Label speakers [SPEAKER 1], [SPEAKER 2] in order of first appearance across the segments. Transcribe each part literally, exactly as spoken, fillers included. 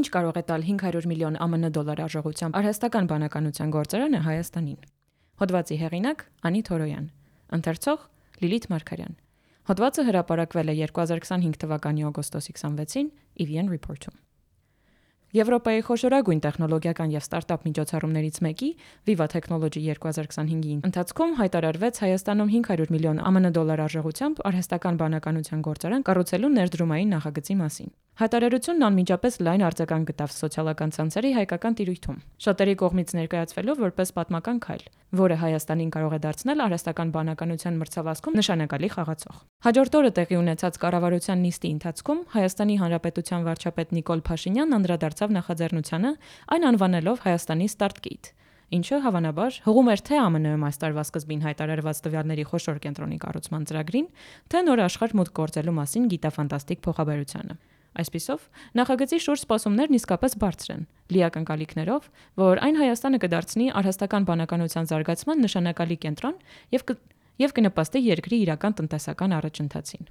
[SPEAKER 1] Ինչ կարող է տալ հինգ հարյուր միլիոն ԱՄՆ դոլար արժողությամբ արհեստական բանականության գործարանը Հայաստանին։ Հոդվածի հեղինակ Անի Թորոյան, ընթերցող Լիլիթ Մարգարյան։ Հոդվածը հրապարակվել է երկու հազար քսանհինգ թվականի օգոստոսի քսանվեցին ի վի էն Report-ում։ Եվրոպայի խոշորագույն տեխնոլոգիական եւ ստարտափ միջոցառումներից մեկի Viva Technology երկու հազար քսանհինգի ընթացքում հայտարարվեց Հայաստանում հինգ հարյուր միլիոն ԱՄՆ դոլար արժողությամբ արհեստական բանականության գործարան կառուցելու ներդրումային նախագծի մասին։ Հայտարարությունն անմիջապես լայն արձագանք գտավ սոցիալական ցանցերի հայկական տիրույթում, շատերի կողմից ներկայացվելով որպես պատմական քայլ, որը Հայաստանին կարող է դարձնել արհեստական բանականության մրցավազքում նշանակալի խաղացող։ Հաջորդ օրը տեղի ունեցած կառավարության նիստի ընթացքում Հայաստանի Հանրապետության վարչապետ Նիկոլ Փաշինյանն անդրադարձավ նախաձեռնությանը, այն անվանելով Հայաստանի Start-Gate, ինչը հավանաբար հղում էր թե ԱՄՆ-ում այս տարվա սկզբին հայտարարված տվյալների խոշոր կենտրոնի կառուցման ծրագրին, թե նոր աշխարհ մուտք գործելու մասին գիտաֆանտաստիկ փոխաբերությանը։ Այսպիսով, նախագծի շուրջ սպասումներն իսկապես բարձր են, լի ակնկալիքներով, որ այն Հայաստանը կդարձնի արհեստական բանականության զարգացման նշանակալի կենտրոն եւ կ... եւ կնպաստի երկրի իրական տնտեսական առաջընթացին։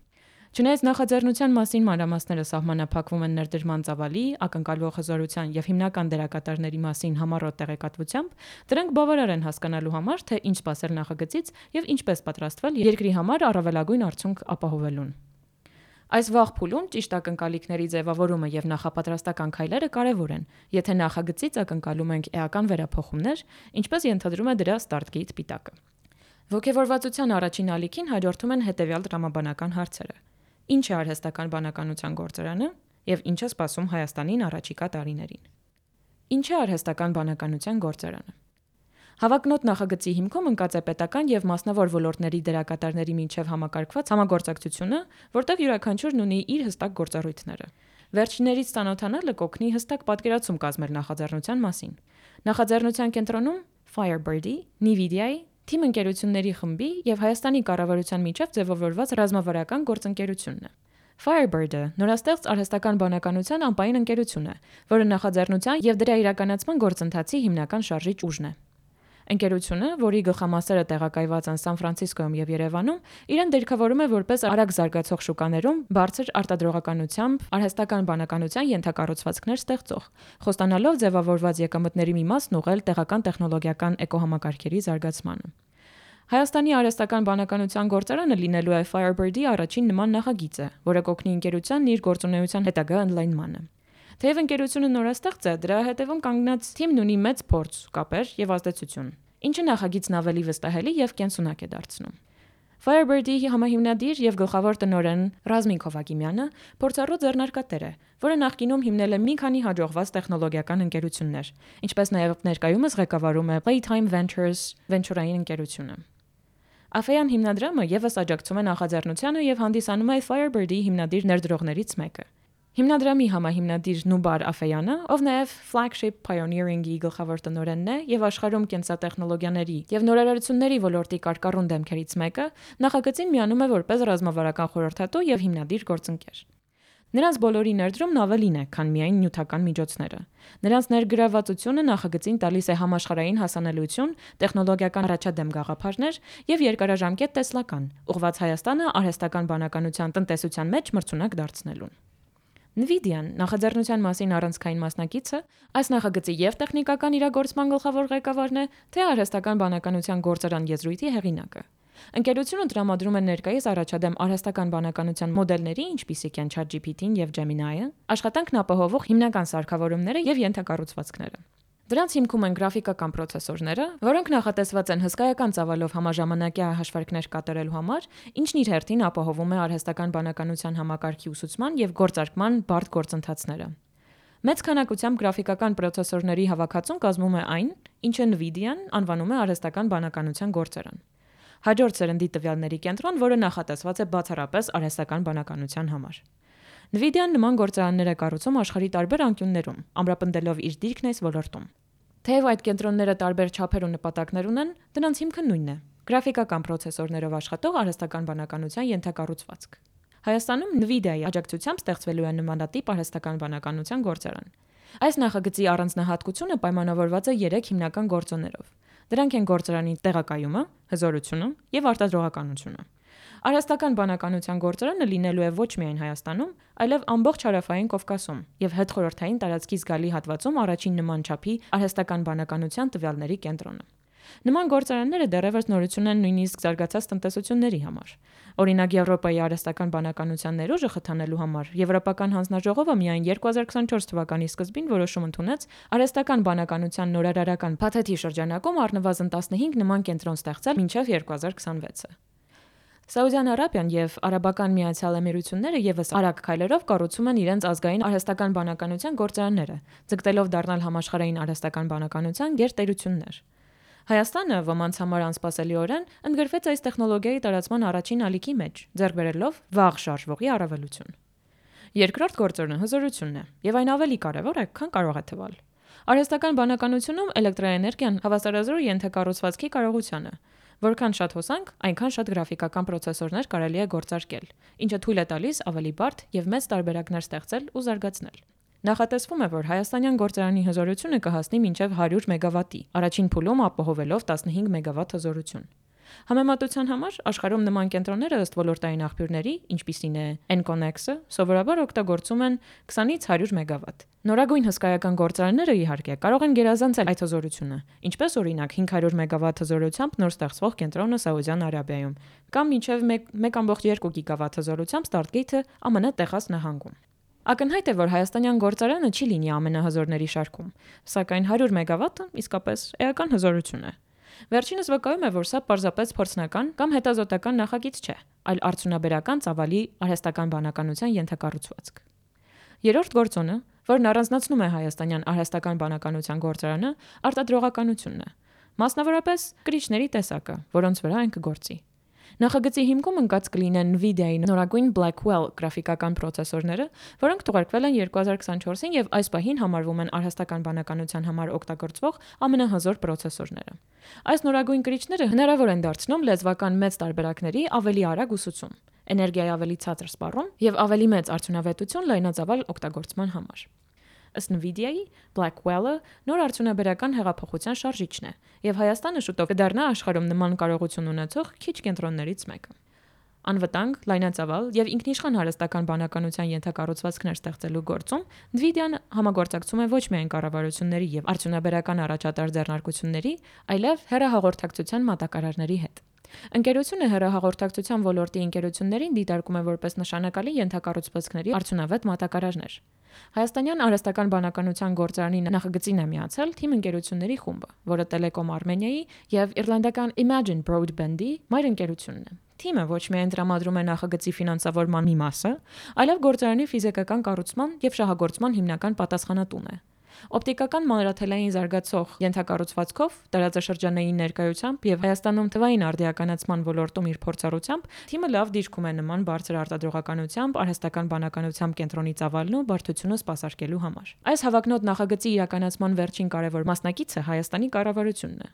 [SPEAKER 1] Չնայած նախաձեռնության մասին մանրամասները սահմանափակվում են ներդրման ծավալի, ակնկալվող հզորության եւ հիմնական դերակատարների մասին համառոտ տեղեկատվությամբ, դրանք բավարար են հասկանալու համար, թե ինչ սպասել նախագծից եւ ինչպես պատրաստվել երկրի համար առավելագույն արդյունք ապահովելուն։ Այս վաղ փուլում ճիշտ ակնկալիքների ձևավորումը եւ նախապատրաստական քայլերը կարեւոր են, եթե նախագծից ակնկալում ենք էական վերափոխումներ, ինչպես ենթադրում է դրա Start-Gate պիտակը։ Ոգևորվածության առաջին ալիքին հաջորդում են հետեւյալ տրամաբանական հարցերը. Ինչ է արհեստական բանականության գործարանը եւ ինչ է սպասում Հայաստանին առաջիկա տարիներին։ Ինչ է արհեստական բանականության գործարանը։ Հավակնոտ նախագծի հիմքում ընկած է պետական եւ մասնավոր ոլորտների դերակատարների միջև համակարգված համագործակցությունը, որտեղ յուրաքանչյուրն ունի իր հստակ գործառույթները։ Վերջիններից ծանոթանալը կօգնի հստակ պատկերացում կազմել նախաձեռնության մասին։ Նախաձեռնության կենտրոնում Firebird-ի, Nvidia-ի, թիմ ընկերությունների խմբի եւ Հայաստանի կառավարության միջև ձևավորված ռազմավարական գործընկերությունն է։ Firebird-ը նորաստեղծ արհեստական բանականության անպայման ընկերություն է, որը նախաձեռնության եւ դրա իրականացման գործընթացի հիմնական շարժիչ ուժն է։ Ընկերությունը, որի գլխամասերը տեղակայված են Սան Ֆրանցիսկոյում եւ Երևանում, իրեն դիրքավորում է որպես արագ զարգացող շուկաներում բարձր արտադրողականությամբ արհեստական բանականության ենթակառուցվածքներ ստեղծող, խոստանալով ձևավորված եկամտների մի մասն ուղղել տեղական տեխնոլոգիական էկոհամակարգերի զարգացմանը։ Հայաստանի արհեստական բանականության գործարանը լինելու է Firebird-ի առաջին նման նախագիծը, որը կօգնի ընկերությանն իր գործունեության հետագա ընդլայնմանը։ Թեև ընկերությունը նորաստեղծ է, դրա հետևում կանգնած թիմն ունի մեծ փորձ, կապեր եւ ազդեցություն, ինչը նախագիծն ավելի վստահելի եւ կենսունակ է դարձնում։ Firebird-ի համահիմնադիր եւ գլխավոր տնօրեն Ռազմիկ Հովակիմյանը փորձառու ձեռնարկատեր է, որը նախկինում հիմնել է մի քանի հաջողված տեխնոլոգիական ընկերություններ, ինչպես նաեւ ներկայումս ղեկավարում է Playtime Ventures վենչուրային ընկերությունը։ Աֆեյան հիմնադրամը եւս աջակցում է նախաձեռնությանը եւ հանդիսանում է Firebird-ի հիմնադիր ներդրողներից մեկը։ Հիմնադրամի համահիմնադիր Նուբար Աֆեյանը, ով նաև Flagship Pioneering-ի գլխավոր տնօրենն է եւ աշխարհում կենսատեխնոլոգիաների եւ նորարարությունների ոլորտի կարկառուն դեմքերից մեկը, նախագծին միանում է որպես ռազմավարական խորհրդատու եւ հիմնադիր գործընկեր։ Նրանց բոլորի ներդրումն ավելին է, քան միայն նյութական միջոցները։ Նրանց ներգրավվածությունը նախագծին տալիս է համաշխարհային հասանելիություն, տեխնոլոգիական առաջադեմ գաղափարներ եւ երկարաժամկետ տեսլական, ուղղված Հայաստանը արհեստական բանականության տնտեսության մեջ մրցունակ դարձնելուն։ Nvidia-ն նախաձեռնության մասին առանցքային մասնակիցը, այս նախագծի եւ տեխնիկական իրագործման գլխավոր ղեկավարն է, թե արհեստական բանականության գործարան եզրույթի հեղինակը։ Ընկերությունը տրամադրում է ներկայիս առաջադեմ արհեստական բանականության մոդելների, ինչպիսիք են ChatGPT-ն եւ Gemini-ը, աշխատանքն ապահովող հիմնական սարքավորումները եւ ենթակառուցվածքները։ Դրանց հիմքում են գրաֆիկական պրոցեսորները, որոնք նախատեսված են հսկայական ծավալով համաժամանակյա հաշվարկներ կատարելու համար, ինչն իր հերթին ապահովում է արհեստական բանականության համակարգի ուսուցման եւ գործարկման բարդ գործընթացները։ Մեծ քանակությամբ գրաֆիկական պրոցեսորների հավաքածուն կազմում է այն, ինչը Nvidia-ն անվանում է արհեստական բանականության գործարան։ Հաջորդ սերնդի տվյալների կենտրոն, որը նախատեսված է բացառապես արհեստական բանականության համար։ Nvidia-ն նման գործարաններ է կառուցում աշխարհի տարբեր անկյուններում, ամրապնդելով իր դիրքն այս ոլորտում։ Թեև այդ կենտրոնները տարբեր չափեր ու նպատակներ ունեն, դրանց հիմքը նույնն է՝ գրաֆիկական պրոցեսորներով աշխատող արհեստական բանականության ենթակառուցվածք։ Հայաստանում Nvidia-ի աջակցությամբ ստեղծվելու է նմանատիպ արհեստական բանականության գործարան։ Այս նախագծի առանձնահատկությունը պայմանավորված է երեք հիմնական գործոններով։ Դրանք են գործարանի տեղակայումը, հզորությունը եւ արտադրողականությունը։ Արհեստական բանականության գործարանը լինելու է ոչ միայն Հայաստանում, այլև ամբողջ հարավային Կովկասում եւ հետխորհրդային տարածքի զգալի հատվածում առաջին նման չափի արհեստական բանականության տվյալների կենտրոնը։ Նման գործարանները դեռևս նորություն են նույնիսկ զարգացած տնտեսությունների համար։ Օրինակ Եվրոպայի արհեստական բանականության ներուժը խթանելու համար Եվրոպական հանձնաժողովը միայն երկու հազար քսաներորդ թվականի սկզբին որոշում ընդունեց արհեստական բանականության նորարարական փաթեթի շրջանակում առնվազն տասնհինգ նման կենտրոն ստեղծել մինչև երկու հազար քսանվեցը։ Սաուդյան Արաբիան եւ Արաբական Միացյալ Էմիրությունները եւս արագ քայլերով կառուցում են իրենց ազգային արհեստական բանականության գործարանները, ձգտելով դառնալ համաշխարհային արհեստական բանականության գերտերություններ։ Հայաստանը ոմանց համար անսպասելիորեն ընդգրկվեց այս տեխնոլոգիայի տարածման առաջին ալիքի մեջ, ձեռք բերելով վաղ շարժվողի առավելություն։ Երկրորդ գործոնը հզորությունն է, եւ այն ավելի կարեւոր է, քան կարող է թվալ։ Արհեստական բանականությունում էլեկտրաէներգիան հավասարազոր է ենթակառուցվածքի կարողությանը։ Որքան շատ հոսանք, այնքան շատ գրաֆիկական պրոցեսորներ կարելի է գործարկել, ինչը թույլ է տալիս ավելի բարդ եւ մեծ տարբերակներ ստեղծել ու զարգացնել։ Նախատեսվում է, որ հայաստանյան գործարանի հզորությունը կհասնի մինչև հարյուր մեգավատի, առաջին փուլում ապահովելով տասնհինգ մեգավատ հզորություն։ Համեմատության համար աշխարհում նման կենտրոնները ըստ ոլորտային աղբյուրների, ինչպիսին է Enconex-ը, սովորաբար օգտագործում են քսանից հարյուր մեգավատ։ Նորագույն հսկայական գործարանները իհարկե կարող են գերազանցել այդ հզորությունը, ինչպես օրինակ հինգ հարյուր մեգավատ հզորությամբ նոր ստեղծվող կենտրոնը Սաուդյան Արաբիայում, կամ մինչև մեկ կόμma երկու գիգավատ հզորությամբ Stargate-ը ԱՄՆ Տեխաս նահանգում։ Ակնհայտ է, որ հայաստանյան գործարանը չի լինի ամենահզորների շարքում, սակայն հարյուր մեգավատը իսկապես էական հզորություն է։ Վերջինս վկայում է, որ սա պարզապես փորձնական կամ հետազոտական նախագիծ չէ, այլ արդյունաբերական ծավալի արհեստական բանականության ենթակառուցվածք։ Երրորդ գործոնը, որն առանձնացնում է հայաստանյան արհեստական բանականության գործարանը, արտադրողականությունն է, մասնավորապես կրիչների տեսակը, որոնց վրա այն կգործի։ Նախագծի հիմքում ընկած կլինեն Nvidia-ի նորագույն Blackwell գրաֆիկական պրոցեսորները, որոնք թողարկվել են երկու հազար քսանչորսին եւ այս պահին համարվում են արհեստական բանականության համար օգտագործվող ամենահզոր պրոցեսորները։ Այս նորագույն կրիչները հնարավոր են դարձնում լեզվական մեծ տարբերակների ավելի արագ ուսուցում, էներգիայի ավելի ցածր սպառում եւ ավելի մեծ արդյունավետություն լայնածավալ օգտագործման համար։ Ըստ Nvidia-ի Blackwell-ը նոր արդյունաբերական հեղափոխության շարժիչն է, եւ Հայաստանը շուտով կդառնա աշխարհում նման կարողություն ունեցող քիչ կենտրոններից մեկը։ Անվտանգ, լայնածավալ եւ ինքնիշխան հարստական բանականության ենթակառուցվածքներ ստեղծելու գործում Nvidia-ն համագործակցում է ոչ միայն կառավարությունների եւ արդյունաբերական առաջատար ձեռնարկությունների, այլև հեռահաղորդակցության մատակարարների հետ։ Ընկերությունը հեռահաղորդակցության ոլորտի ընկերություններին դիտարկում է որպես նշանակալի ենթակառուցվածքների արդյունավետ մատակարարներ։ Հայաստանյան արհեստական բանականության գործարանի նախագծին է միացել թիմ ընկերությունների խումբը, որը Telecom Armenia-ի եւ իռլանդական Imagine Broadband-ի մայր ընկերությունն է։ Թիմը ոչ միայն տրամադրում է նախագծի ֆինանսավորման մի մասը, այլև գործարանի ֆիզիկական կառուցման եւ շահագործման հիմնական պատասխանատուն է։ Օպտիկական մանրաթելային զարգացող ենթակառուցվածքով, տարածաշրջանային ներկայությամբ եւ Հայաստանում թվային արդիականացման ոլորտում իր փորձառությամբ թիմը լավ դիրքում է նման բարձր արտադրողականությամբ, արհեստական բանականությամբ կենտրոնի ծավալն ու բարդությունը սպասարկելու համար։ Այս հավակնոտ նախագծի իրականացման վերջին կարևոր մասնակիցը Հայաստանի կառավարությունն է։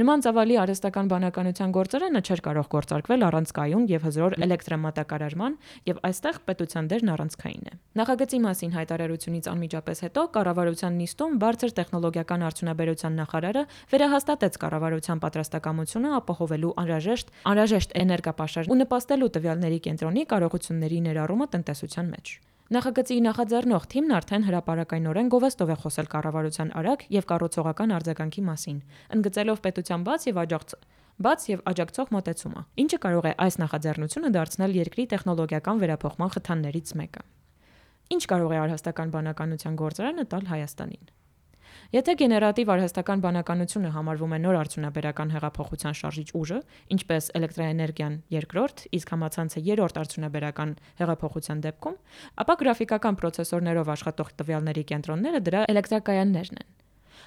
[SPEAKER 1] Նման ծավալի արհեստական բանականության գործարանը չէր կարող գործարկվել առանց կայուն եւ հզոր էլեկտրամատակարարման, եւ այստեղ պետության դերն առանցքային է։ Նախագծի մասին հայտարարությունից անմիջապես հետո կառավարության նիստում բարձր տեխնոլոգիական արդյունաբերության նախարարը վերահաստատեց կառավարության պատրաստակամությունը ապահովելու անհրաժեշտ անհրաժեշտ էներգապաշար ու նպաստելու տվյալների կենտրոնի կարողությունների ներառումը տնտեսության մեջ։ Նախագծի նախաձեռնող թիմն արդեն հրապարակայնորեն գովեստով է խոսել կառավարության արագ եւ կառուցողական արձագանքի մասին, ընդգծելով պետության բաց եւ աջակց բաց եւ աջակցող մոտեցումը, ինչը կարող է այս նախաձեռնությունը դարձնել երկրի տեխնոլոգիական վերափոխման խթաններից մեկը։ Ինչ կարող է արհեստական բանականության գործարանը տալ Հայաստանին։ Եթե գեներատիվ արհեստական բանականությունը համարվում է նոր արդյունաբերական հեղափոխության շարժիչ ուժը, ինչպես էլեկտրաէներգիան երկրորդ, իսկ համացանցը երրորդ արդյունաբերական հեղափոխության դեպքում, ապա գրաֆիկական պրոցեսորներով աշխատող տվյալների կենտրոնները դրա էլեկտրակայաններն են։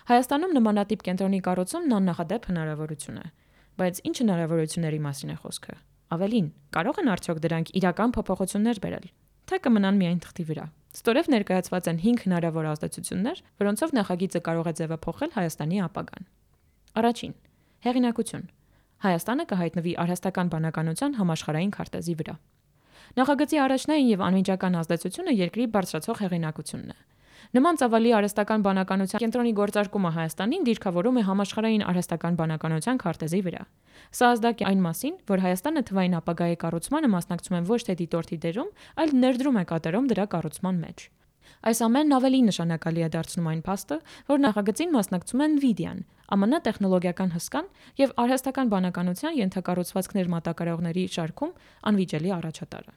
[SPEAKER 1] Հայաստանում նմանատիպ կենտրոնի կառուցումն աննախադեպ հնարավորություն է, բայց ինչ հնարավորությունների մասին է խոսքը։ Ավելին, կարող են արդյոք դրանք իրական փոփոխություններ բերել, թե կմնան միայն թղթի վրա։ Ստորև ներկայացված են հինգ հնարավոր ազդեցություններ, որոնցով նախագիծը կարող է ձևափոխել Հայաստանի ապագան։ Առաջին. հեղինակություն։ Հայաստանը կհայտնվի արհեստական բանականության համաշխարհային քարտեզի վրա։ Նախագծի առաջնային եւ անմիջական ազդեցությունը երկրի բարձրացող հեղինակությունն է։ Նման ծավալի արհեստական բանականության կենտրոնի գործարկումը Հայաստանին դիրքավորում է համաշխարհային արհեստական բանականության քարտեզի վրա։ Սա ազդակ է այն մասին, որ Հայաստանը թվային ապագայի կառուցմանը մասնակցում է ոչ թե դիտորդի դերում, այլ ներդրում է կատարում դրա կառուցման մեջ։ Այս ամենն ավելի նշանակալի է դարձնում այն փաստը, որ նախագծին մասնակցում է Nvidia-ն, ԱՄՆ տեխնոլոգիական հսկան եւ արհեստական բանականության ենթակառուցվածքներ մատակարարողների շարքում անվիճելի առաջատարը։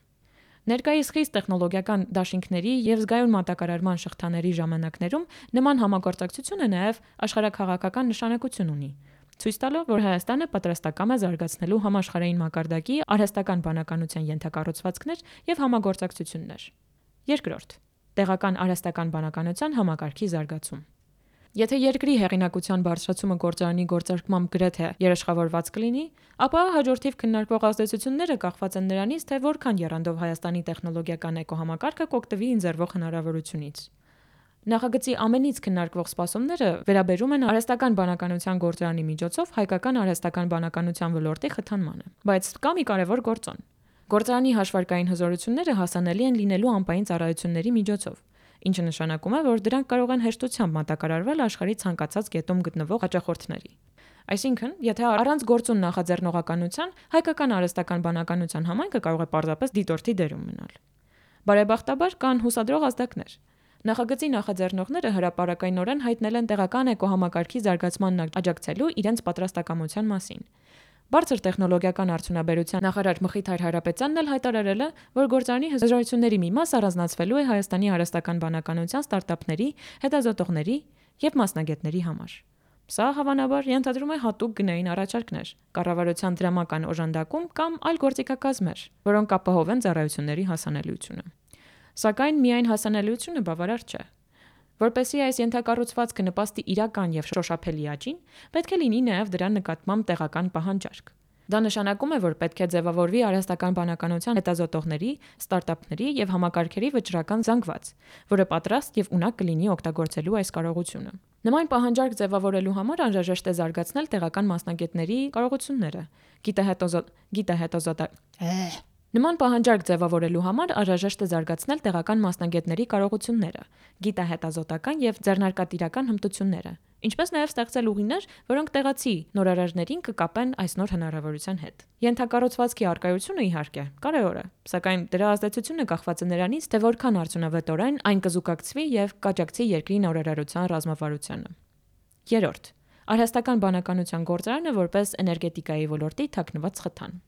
[SPEAKER 1] Ներկայիս խիստ տեխնոլոգիական դաշինքների եւ զգայուն մատակարարման շղթաների ժամանակներում նման համագործակցությունը նաեւ աշխարհաքաղաքական նշանակություն ունի, ցույց տալով, որ Հայաստանը պատրաստակամ է զարգացնելու համաշխարհային մակարդակի արհեստական բանականության ենթակառուցվածքներ եւ համագործակցություններ։ Երկրորդ՝ տեղական արհեստական բանականության համակարգի զարգացում։ Եթե երկրի հեղինակության բարձրացումը գործարանի գործարկմամբ գրեթե երաշխավորված կլինի, ապա հաջորդիվ քննարկվող ազդեցությունները կախված են նրանից, թե որքան եռանդով Հայաստանի տեխնոլոգիական էկոհամակարգը կօգտվի ընձեռվող հնարավորությունից։ Նախագծի ամենից քննարկվող սպասումները վերաբերում են արհեստական բանականության գործարանի միջոցով հայկական արհեստական բանականության ոլորտի խթանմանը։ Բայց կա մի կարևոր գործոն։ Գործարանի հաշվարկային հզորությունները հասանելի են լինելու ամպային ծառայությունների միջոցով, ինչը նշանակում է, որ դրանք կարող են հեշտությամբ մատակարարվել աշխարհի ցանկացած կետում գտնվող հաճախորդների։ Այսինքն, եթե առանց գործուն նախաձեռնողականության հայկական արհեստական բանականության համայնքը կարող է պարզապես դիտորդի դերում մնալ։ Բարեբախտաբար կան հուսադրող ազդակներ։ Նախագծի նախաձեռնողները հրապարակայնորեն հայտնել են տեղական էկոհամակարգի զարգացմանն աջակցելու իրենց պատրաստակամության մասին։ Բարձր տեխնոլոգիական արդյունաբերության նախարար Մխիթար Հարապետյանն էլ հայտարարել է, որ գործարանի հզորությունների մի մաս առանձնացվելու է Հայաստանի արհեստական բանականության ստարտափների, հետազոտողների եւ մասնագետների համար։ Սա հավանաբար ենթադրում է հատուկ գնային առաջարկներ, կառավարության դրամական օժանդակում կամ այլ գործիքակազմեր, որոնք ապահովեն ծառայությունների հասանելիությունը։ Սակայն միայն հասանելիությունը բավարար չէ։ Որպեսզի այս ենթակառուցվածքը նպաստի իրական եւ շոշափելի աճին, պետք է լինի նաեւ դրա նկատմամբ տեղական պահանջարկ։ Դա նշանակում է, որ պետք է ձևավորվի արհեստական բանականության հետազոտողների, ստարտափների եւ համակարգերի վճռական զանգված, որը պատրաստ եւ ունակ կլինի օգտագործելու այս կարողությունը։ Նման պահանջարկ ձևավորելու համար անհրաժեշտ է զարգացնել տեղական մասնագետների կարողությունները, գիտահետազոտ Նման պահանջարկ ձևավորելու համար անհրաժեշտ է զարգացնել տեղական մասնագետների կարողությունները, գիտահետազոտական եւ ձեռնարկատիրական հմտությունները, ինչպես նաեւ ստեղծել ուղիներ, որոնք տեղացի նորարարներին կկապեն այս նոր հնարավորության հետ։ Ենթակառուցվածքի առկայությունը իհարկե կարևոր է, սակայն դրա ազդեցությունը կախված է նրանից, թե որքան արդյունավետորեն այն կզուգակցվի եւ կաջակցի երկրի նորարարության ռազմավարությանը։ Երրորդ՝ արհեստական բանականության գործարանը որպես էներգետիկայի ոլորտի թաքնված խթան։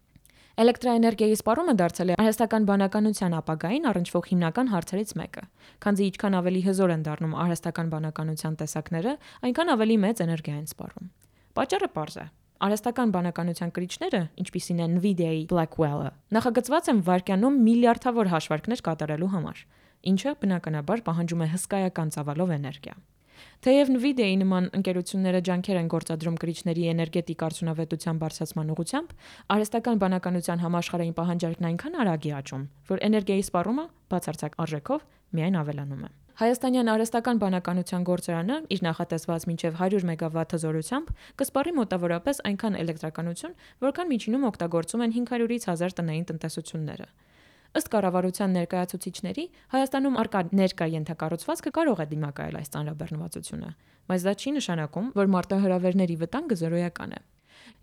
[SPEAKER 1] Էլեկտրաէներգիայի սպառումը դարձել է արհեստական բանականության ապագային առնչվող հիմնական հարցերից մեկը, քանզի ինչքան ավելի հզոր են դառնում արհեստական բանականության տեսակները, այնքան ավելի մեծ էներգիա են սպառում։ Պատճառը պարզ է։ Արհեստական բանականության կրիչները, ինչպիսին են Nvidia-ի Blackwell-ը, նախագծված են վայրկյանում միլիարդավոր հաշվարկներ կատարելու համար, ինչը բնականաբար պահանջում է հսկայական ծավալով էներգիա։ Թեև Nvidia-ի նման ընկերությունները ջանքեր են գործադրում կրիչների էներգետիկ արդյունավետության բարձրացման ուղղությամբ, արհեստական բանականության համաշխարհային պահանջարկն այնքան արագ է աճում, որ էներգիայի սպառումը բացարձակ արժեքով միայն ավելանում է։ Հայաստանյան արհեստական բանականության գործարանը իր նախատեսված մինչև հարյուր մեգավատ հզորությամբ կսպառի մոտավորապես այնքան էլեկտրականություն, որքան միջինում օգտագործում են հինգ հարյուրից հազար տնային տնտեսությունները։ Ըստ կառավարության ներկայացուցիչների, Հայաստանում արկա ներկա ենթակառուցվածքը կարող է դիմակայել այս ծանրաբեռնվածությունը, բայց դա չի նշանակում, որ մարտահրավերների վտանգը զրոյական է։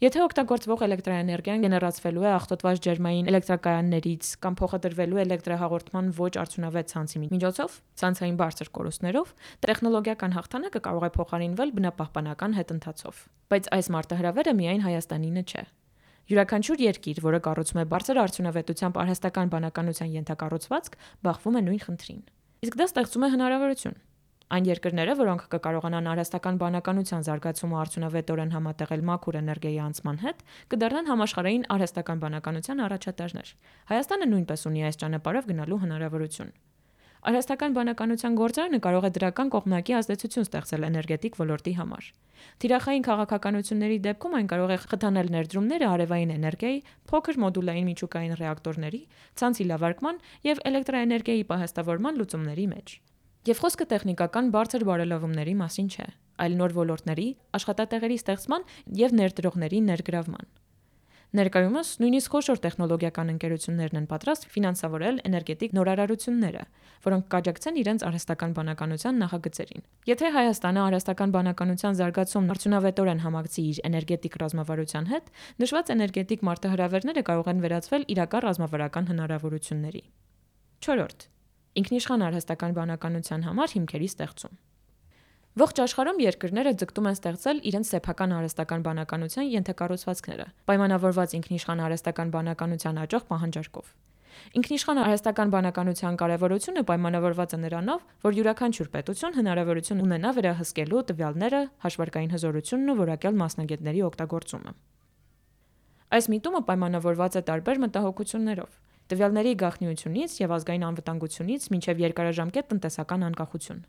[SPEAKER 1] Եթե օգտագործվող էլեկտրաէներգիան գեներացվելու է աղտոտված ջերմային էլեկտրակայաններից կամ փոխադրվելու էլեկտրահաղորդման ոչ արդյունավետ ցանցի միջոցով, ցանցային բարձր կորուստներով, տեխնոլոգիական հաղթանակը կարող է փոխարինվել բնապահպանական հետընթացով։ Բայց այս մարտահրավերը միայն Հայաստանինը չէ։ Յուրաքանչյուր երկիր, որը կառուցում է բարձր արդյունավետությամբ արհեստական բանականության ենթակառուցվածք, բախվում է նույն խնդրին։ Իսկ դա ստեղծում է հնարավորություն։ Այն երկրները, որոնք կկարողանան արհեստական բանականության զարգացումը արդյունավետորեն համատեղել մաքուր էներգիայի անցման հետ, կդառնան համաշխարհային արհեստական բանականության առաջատարներ։ Հայաստանը նույնպես ունի այս ճանապարհով գնալու հնարավորություն։ Արհեստական բանականության գործարանը կարող է դրական կողմնակի ազդեցություն ստեղծել էներգետիկ ոլորտի համար։ Թիրախային քաղաքականությունների դեպքում այն կարող է խթանել ներդրումները արևային էներգիայի, փոքր մոդուլային միջուկային ռեակտորների, ցանցի լավարկման եւ էլեկտրաէներգիայի պահեստավորման լուծումների մեջ։ Եվ խոսքը տեխնիկական բարձր բարելավումների մասին չէ, այլ նոր ոլորտների, աշխատատեղերի ստեղծման եւ ներդրողների ներգրավման։ Ներկայումս նույնիսկ խոշոր տեխնոլոգիական ընկերություններն են պատրաստ ֆինանսավորել էներգետիկ նորարարությունները, որոնք կաջակցեն իրենց արհեստական բանականության նախագծերին։ Եթե Հայաստանը արհեստական բանականության զարգացումն արդյունավետորեն համակցի իր էներգետիկ ռազմավարության հետ, նշված էներգետիկ մարտահրավերները կարող են վերածվել իրական ռազմավարական հնարավորությունների։ չորրորդ. Ինքնիշխան արհեստական բանականության համար հիմքերի ստեղծում։ Ողջ աշխարհում երկրները ձգտում են ստեղծել իրենց սեփական արհեստական բանականության ենթակառուցվածքները, պայմանավորված ինքնիշխան արհեստական բանականության աճող պահանջարկով։ Ինքնիշխան արհեստական բանականության կարևորությունը պայմանավորված է նրանով, որ յուրաքանչյուր պետություն հնարավորություն ունենա վերահսկելու տվյալները, հաշվարկային հզորությունն ու որակյալ մասնագետների օգտագործումը։ Այս միտումը պայմանավորված է տարբեր մտահոգություններով՝ տվյալների գաղտնիությունից եւ ազգային անվտանգությունից մինչեւ երկարաժամկետ տնտեսական անկախություն։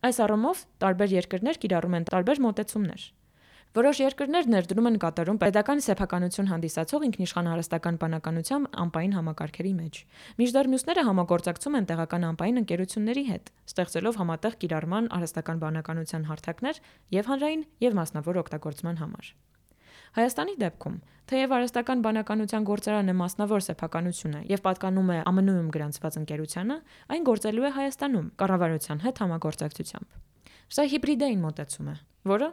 [SPEAKER 1] Այս առումով տարբեր երկրներ կիրառում են տարբեր մոտեցումներ։ Որոշ երկրներ ներդրում են կատարում պետական սեփականություն հանդիսացող ինքնիշխան արհեստական բանականության անպային համակարգերի մեջ, մինչդեռ մյուսները համագործակցում են տեղական անպային ընկերությունների հետ, ստեղծելով համատեղ կիրառման արհեստական բանականության հարթակներ եւ հանրային եւ մասնավոր օգտագործման համար։ Հայաստանի դեպքում, թեև արհեստական բանականության գործարանը մասնավոր սեփականություն է եւ պատկանում է Ամն Ու-ում գրանցված ընկերությանը, այն գործելու է Հայաստանում կառավարության հետ համագործակցությամբ։ Սա հիբրիդային մոտեցում է, որը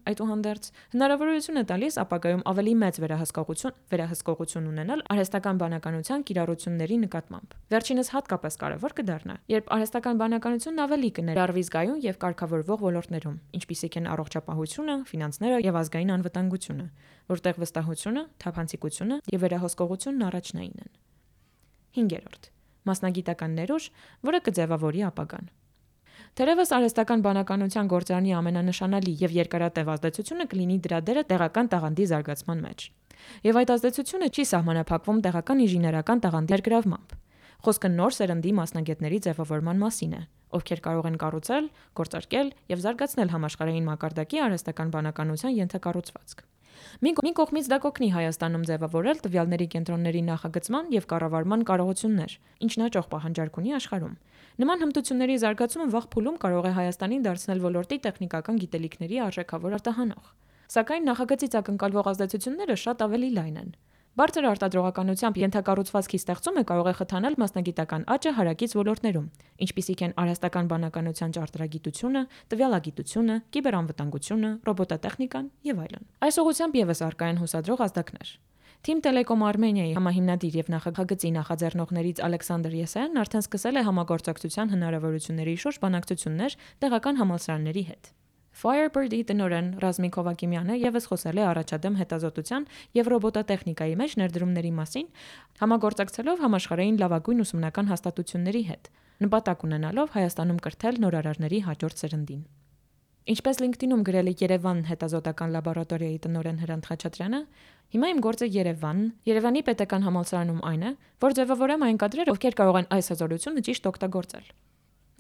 [SPEAKER 1] այդուհանդերձ հնարավորություն է տալիս ապագայում ավելի մեծ վերահսկողություն վերահսկողություն ունենալ արհեստական բանականության կիրառությունների նկատմամբ։ Վերջինս հատկապես կարևոր կդառնա, երբ արհեստական բանականությունն ավելի կներառվի զգայուն եւ կարգավորվող ոլորտներում, ինչպիսիք են առողջապահությունը, ֆինանսները եւ ազգային անվտանգությունը, որտեղ վստահությունը, թափանցիկությունը եւ վերահսկողությունն առաջնային են։ հինգերորդ. Մասնագիտական ներուժ, որը կձևավորի ապագան։ Թերևս արհեստական բանականության գործարանի ամենանշանալի եւ երկարատև ազդեցությունը կլինի դրա դերը տեղական տաղանդի զարգացման մեջ։ Եվ այդ ազդեցությունը չի սահմանափակվում տեղական ինժեներական տաղանդի ներգրավմամբ։ Խոսքը նոր սերնդի մասնագետների ձևավորման մասին է, ովքեր կարող են կառուցել, գործարկել եւ զարգացնել համաշխարհային մակարդակի արհեստական բանականության ենթակառուցվածք։ Մի կողմից դա կօգնի Հայաստանում ձևավորել տվյալների կենտրոնների նախագծման եւ կառավարման կարողություններ, ինչն հաջող պահանջարկ ունի աշխարհում։ Նման հմտությունների զարգացումը վաղ փուլում կարող է Հայաստանին դարձնել ոլորտի տեխնիկական գիտելիքների արժեքավոր արտահանող։ Սակայն նախագծից ակնկալվող ազդեցությունները շատ ավելի լայն են։ Բարձր արտադրողականությամբ ենթակառուցվածքի ստեղծումը կարող է խթանել մասնագիտական աճը հարակից ոլորտներում, ինչպիսիք են արհեստական բանականության ճարտարագիտությունը, տվյալագիտությունը, կիբերանվտանգությունը, ռոբոտատեխնիկան եւ այլն։ Այս ուղղությամբ եւս առկա են հուսադրող ազդակներ։ Թիմ Տելեկոմ Արմենիայի համահիմնադիր եւ նախագծի նախաձեռնողներից Ալեքսանդր Եսայանն արդեն սկսել է համագործակցության հնարավորությունների շուրջ բանակցություններ տեղական համալսարանների հետ։ Firebird-ի տնօրեն Ռազմիկ Հովակիմյանը եւս խոսել է առաջադեմ հետազոտության եւ ռոբոտատեխնիկայի մեջ ներդրումների մասին, համագործակցելով համաշխարհային լավագույն ուսումնական հաստատությունների հետ, նպատակ ունենալով Հայաստանում կրթել նորարարների հաջորդ սերնդին։ Ինչպես LinkedIn-ում գրել է Երևան հետազոտական լաբորատորիայի տնօրեն Հրանտ Խաչատրյանը, հիմա իմ գործը Երևանն, Երևանի պետական համալսարանում այն է, որ ձևավորեմ այն կադրերը, ովքեր կարող են այս հզորությունը ճիշտ օգտագործել։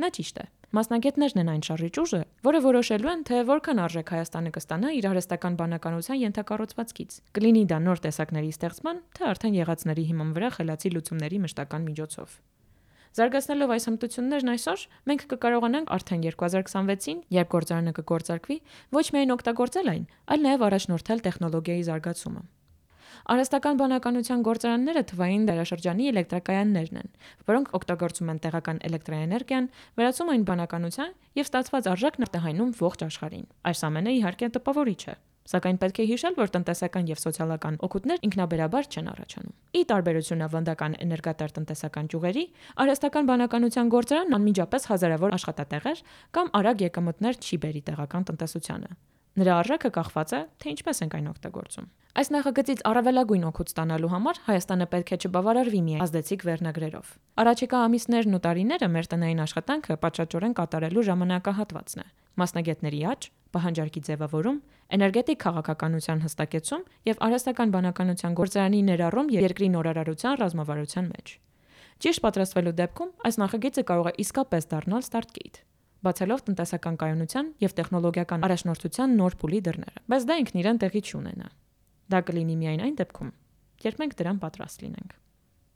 [SPEAKER 1] Նա ճիշտ է։ Մասնագետներն են այն շարժիչ ուժը, որը որոշելու են, թե որքան արժեք Հայաստանը կստանա իր արհեստական բանականության ենթակառուցվածքից։ Կլինի դա նոր տեսակների ստեղծման, թե արդեն եղածների հիման վրա խելացի լուծումների մշտական միջոցով։ Զարգացնելով այս հմտություններն այսօր, մենք կկարողանանք արդեն երկու հազար քսանվեցին, երբ գործարանը կգործարկվի, ոչ միայն օգտագործել այն, այլ նաև առաջնորդել տեխնոլոգիայի զարգացումը։ Արհեստական բանականության գործարանները թվային դարաշրջանի էլեկտրակայաններն են, որոնք օգտագործում են տեղական էլեկտրաէներգիան, վերածում այն բանականության եւ ստացված արժեքն արտահայտում ողջ աշխարհին։ Այս ամենը իհարկե տպավորիչ է, սակայն պետք է հիշել, որ տնտեսական եւ սոցիալական օգուտներ ինքնաբերաբար չեն առաջանում։ Ի տարբերություն ավանդական էներգատար տնտեսական ճյուղերի, արհեստական բանականության գործարանն անմիջապես հազարավոր աշխատատեղեր կամ արագ եկամուտներ չի բերի տեղական տնտեսությանը։ Նրա արժեքը կախված է, թե ինչպես ենք այն օգտագործում։ Այս նախագծից առավելագույն օգուտ ստանալու համար Հայաստանը պետք է չբավարարվի միայն ազդեցիկ վերնագրերով։ Առաջիկա ամիսներն ու տարիները մեր տնային աշխատանքը պատշաճորեն կատարելու ժամանակահատվածն է։ Մասնագետների աճ, պահանջարկի ձևավորում, էներգետիկ քաղաքականության հստակեցում եւ արհեստական բանականության գործարանի ներառում երկրի նորարարության ռազմավարության մեջ։ Ճիշտ պատրաստվելու դեպքում այս նախագիծը կարող է իսկապես դառնալ ստարտգեյթ, բացելով տնտեսական կայունության եւ տեխնոլոգիական առաջնորդության նոր փուլի դռները։ Բայց դա ինքն իրեն տեղի չունենա։ Դա կլինի միայն այն դեպքում, երբ մենք դրան պատրաստ լինենք։